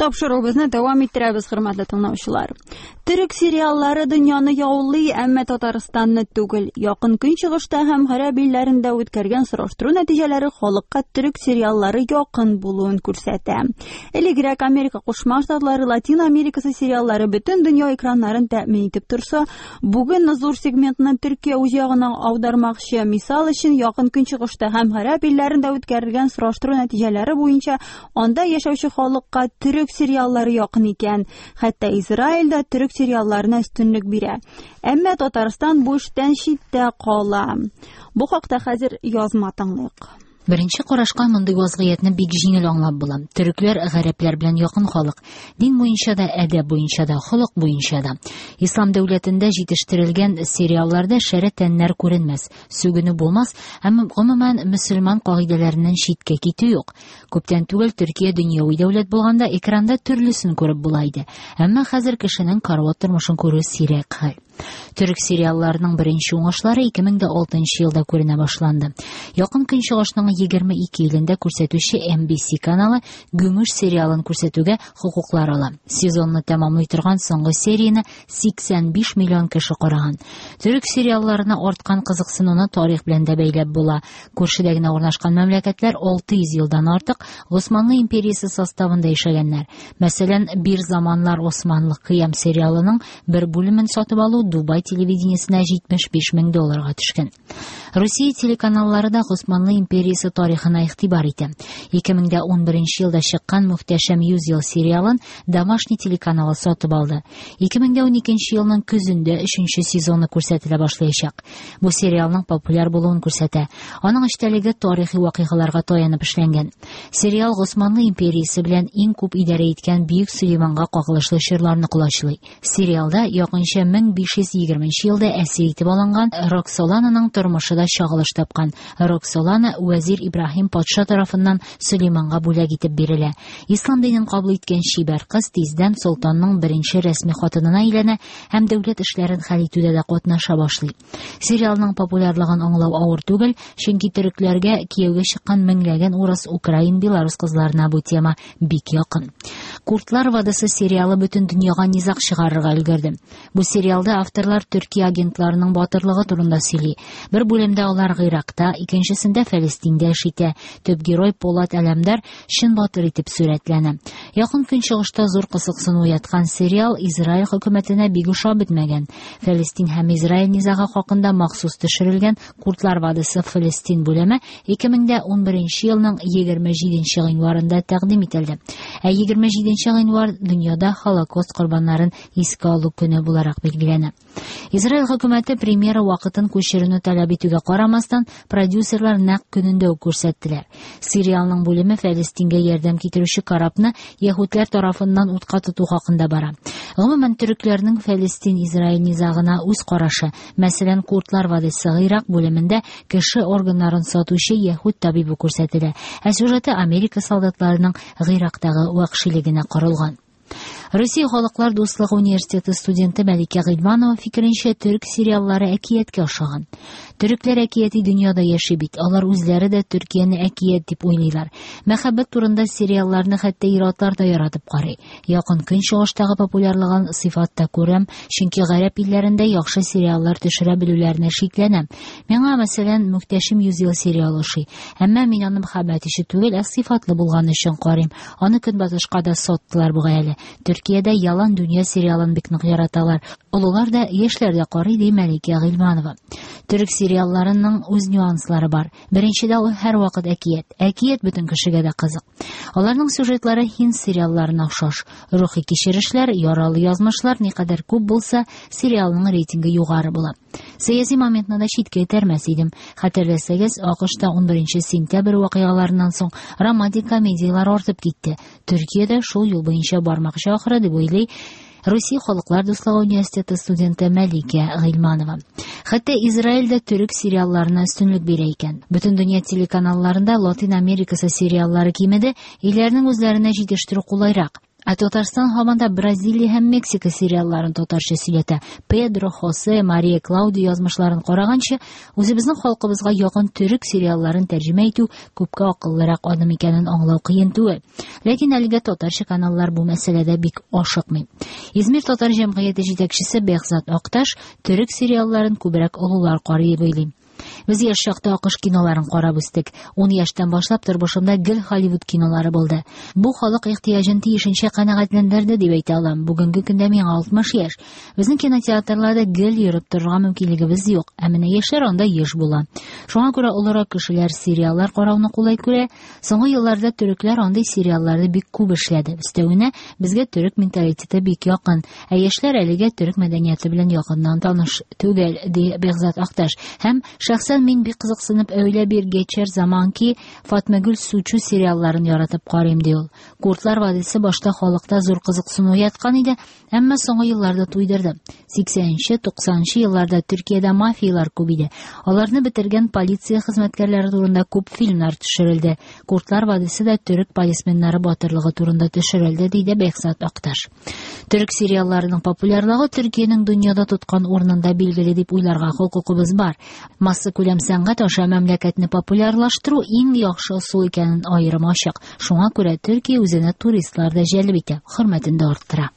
Тапшыруыбызны дәвам иттерәбез, хөрмәтле тыңлаучылар. Төрек сериаллары дөньяны яулый, әмма Татарстанны түгел. Якын Көнчыгышта һәм гарәп илләрендә үткәргән сораштыру нәтиҗәләре халыкка төрек сериаллары якын булуын күрсәтә. Элегрәк Америка Кушма Штатлары, Латин Америкасы сериаллары бөтен дөнья экраннарын тәэмин итеп торса, бүген зур сегментны Төркия үз ягына аудармакчы. Мисал өчен, Якын Көнчыгышта һәм гарәп илләрендә үткәрелгән сораштыру нәтиҗәләре буенча Анда яшәүче халыкка төрек сериаллары якын икән. Хәтта Израиль дә төрек сериалларына өстенлек бирә. Әмма Татарстан бу эштән читтә кала. Бу хакта хәзер язма тыңлыйк. Беренче карашка мондый вазгыятьне бик җиңел аңлап була. Төрекләр гарәпләр белән якын халык. Дин буенча да, әдәп буенча да, холык буенча да. Ислам дәүләтендә җитештерелгән сериалларда шәрә тәннәр күренмәс, сүгенү булмас, әмма гомумән мөселман кагыйдәләреннән читкә китү юк. Күптән түгел Төркия дөньяви дәүләт булганда экранда төрлесен күреп була иде. Әмма хәзер кешенең карават тормышын күрү сирәк хәл. Төрек сериалларының беренче уңышлары 2006 елда күренә башланды. Якын Көнчыгышның 22 илендә күрсәтүче NBC каналы Гүмүш сериалын күрсәтүгә хокуклар ала. Сезонны тәмамлый торган соңгы серияне 85 миллион кеше караган. Төрек сериалларына арткан кызыксынуны тарих белән дә бәйләп була. Күршедә генә урнашкан мәмләкәтләр 600 елдан артык Госманлы империясе составында яшәгәннәр. Мәсәлән, Бир заманнар Османлы кыям сериалының бер бүлемен сатып алу Дубай телевидениесенә 75 мең долларга төшкән. Русия телеканаллары да Госманлы империясе тарихына игътибар итә. 2011 елда чыккан Мөхтәшәм 100 ел сериалын Домашний телеканалы сатып алды. 2012 елның көзендә өченче сезоны күрсәтелә башлаячак. Бу сериалның популяр булуын күрсәтә. Аның эчтәлеге тарихи вакыйгаларга таянып эшләнгән. Сериал Госманлы империясе белән иң күп идарә иткән Бөек Сөләйманга кагылышлы чорларны колачлый. Сериалда якынча 1520 елда әсир итеп алынган Роксолананың тормышы да чагылыш тапкан. Роксолана вәзир Ибраһим патша тарафыннан Сөләйманга бүләк итеп бирелә. Ислам динен кабул иткән чибәр кыз тиздән солтанның беренче рәсми хатынына әйләнә һәм дәүләт эшләрен хәл итүдә дә катнаша башлый. Сериалның популярлыгын аңлау авыр түгел, чөнки төрекләргә кияүгә чыккан меңләгән урыс, украин, белорус кызларына бу тема бик якын. Куртлар вадысы сериалы бөтен дөньяга низаг чыгарырга өлгерде. Бу сериалда авторлар Төркия агентларының батырлыгы турында сөйли. Бер бүлемдә алар Гыйракта, икенчесендә Фәлестиндә эш итә. Төп герой Полат Әләмдар чын батыр итеп сурәтләнә. Якын Көнчыгышта зур кызыксыну уяткан сериал Израиль хөкүмәтенә бик ошап бетмәгән. Фәлестин һәм Израиль низагы хакында махсус төшерелгән Куртлар вадысы Фәлестин бүлеме 2011 елның 27 гыйнварында тәкъдим ителде. Ә 27 гыйнвар дөньяда Холокост корбаннарын искә алу көне буларак билгеләнә. Израиль хөкүмәте премьера вакытын күчерүне таләп итүгә карамастан, продюсерлар нәкъ көнендә үк күрсәттеләр. Сериалның бүлеме Фәлестингә ярдәм китерүче корабны яһүдләр тарафыннан утка тоту хакында бара. Гомумән, төрекләрнең Фәлестин-Израиль низагына үз карашы. Мәсәлән, Куртлар вадисы Гыйрак бүлемендә кеше органнарын сатучы яһүд табибы күрсәтелә, ә сюжеты Америка солдатларының Гыйрактагы вәхшилегенә корылган. Россия Халыклар дуслыгы университеты студенты Мәликә Гыйльманова фикеренчә, төрек сериаллары әкияткә охшаган. Төрекләр әкияти дөньяда яши бит. Алар үзләре дә Төркияне әкият дип уйлыйлар. Мәхәббәт турында сериалларны хәтта ир-атлар да яратып карый. Якын Көнчыгыштагы популярлыгын сыйфатта күрәм, чөнки гарәп илләрендә яхшы сериаллар төшерә белүләренә шикләнәм. Миңа, мәсәлән, Мөхтәшим йөз ел сериалы ошый. Әмма мин аны мәхәббәт өчен түгел, ә сыйфатлы булганы өчен карыйм. Аны Көнбатышка да саттылар бугай әле. Төркиядә Ялан дөнья сериалын бик нык яраталар. Олылар да, яшьләр дә карый, ди Мәликә Гыйльманова. Төрек сериалларының үз нюанслары бар. Беренчедә ул һәрвакыт әкият. Әкият бөтен кешегә дә кызык. Аларның сюжетлары һинд сериалларына охшаш. Рухи кичерешләр, яралы язмышлар никадәр күп булса, сериалның рейтингы югары була. Сәяси моментны да читкә этәрмәс идем. Хәтерләсәгез, АКШта 11 сентябрь вакыйгаларыннан соң романтик комедияләр артып китте. Төркия дә шул юл буенча бармакчы ахры, дип уйлый Русия Халыклар дуслыгы университеты студенты Мәликә Гыйльманова. Хәтта Израиль дә төрек сериалларына өстенлек бирә икән. Бөтен дөнья телеканалларында Латин Америкасы сериаллары кимеде, илләрнең үзләренә җитештерү кулайрак. Ә Татарстан һаман да Бразилия һәм Мексика сериалларын татарча сөйләтә. Педро, Хосе, Мария Клаудио язмышларын караганчы, үзебезнең халкыбызга якын төрек сериалларын тәрҗемә итү күпкә акыллырак адым икәнен аңлау кыен түгел. Ләкин әлегә татарча каналлар бу мәсьәләдә бик ашыкмый. Измир татар җәмгыяте җитәкчесе Бехзат Акташ төрек сериалларын күбрәк олылар карый дип уйлый. Без яшь чакта АКШ киноларын карап үстек. 10 яшьтән башлап тормышымда гел Холливуд кинолары булды. Бу халык ихтыяҗын тиешенчә канәгатьләндерде дип әйтә алам. Бүгенге көндә миңа 60 яшь. Безнең кинотеатрларда гел йөреп торырга мөмкинлегебез юк. Ә менә яшьләр анда еш була. Шуңа күрә олырак кешеләр сериаллар карауны кулай күрә. Соңгы елларда төрекләр андый сериалларны бик күп эшләде. Өстәвенә, безгә төрек менталитеты бик якын. Ә яшьләр әлегә төрек мәдәнияте белән якыннан таныш түгел, ди Бехзат Акташ. Һәм шәхсән мин бик кызыксынып Öyle bir geçer zaman ki, Fatmagül Suçu сериалларын яратып карыйм, ди ул. Куртлар вадисе башта халыкта зур кызыксыну уяткан иде, әмма соңгы елларда туйдырды. 80-нче, 90-нчы елларда Төркиядә мафиялар күп иде. Аларны бетергән полиция хезмәткәрләре турында күп фильмнар төшерелде. Куртлар вадисе дә төрек полисменнары батырлыгы турында төшерелде, диде Бехзат Акташ. Төрек сериалларының популярлыгы Төркиянең дөньяда тоткан урынында билгеле дип уйларга хокукыбыз бар. Массакүләм сәнгать аша мәмләкәтне популярлаштыру иң яхшы ысул икәнен аерым ачык. Шуңа күрә Төркия үзенә туристлар да җәлеп итә, хөрмәтен дә арттыра.